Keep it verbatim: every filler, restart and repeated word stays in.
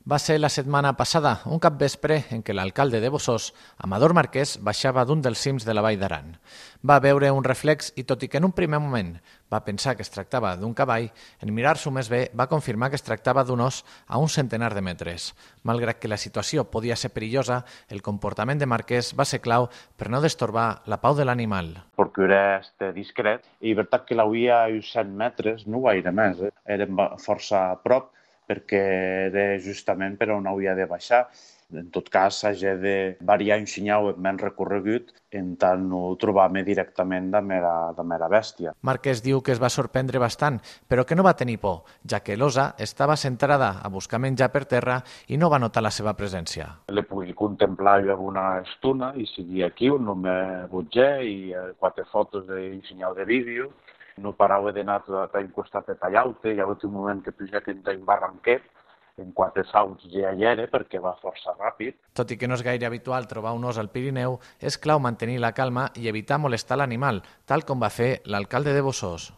Va ser la setmana passada, un capvespre en què l'alcalde de Bossòst, Amador Marquès, baixava d'un dels cims de la Vall d'Aran. Va veure un reflex i, tot i que en un primer moment va pensar que es tractava d'un cavall, en mirar-s'ho més bé va confirmar que es tractava d'un os a un centenar de metres. Malgrat que la situació podia ser perillosa, el comportament de Marquès va ser clau per no destorbar la pau de l'animal. Procuré estar discret i veritat que l'havia a uns cent metres, no gaire més, eh? Érem força a prop perquè era justament per on havia de baixar. En tot cas, s'hagi de variar un senyal en menys recorregut en tant no trobar-me directament de mera, de mera bèstia. Marquès diu que es va sorprendre bastant, però que no va tenir por, ja que l'osa estava centrada a buscar menjar per terra i no va notar la seva presència. Le pugui contemplar alguna estona i seguir aquí, no me butger i quatre fotos d'un senyal de vídeo. No parava d'anar a un costat de tallar-te, hi ha hagut un moment que pujat en un barranquet, en quatre salts ja hi era perquè va força ràpid. Tot i que no és gaire habitual trobar un os al Pirineu, és clau mantenir la calma i evitar molestar l'animal, tal com va fer l'alcalde de Bossòst.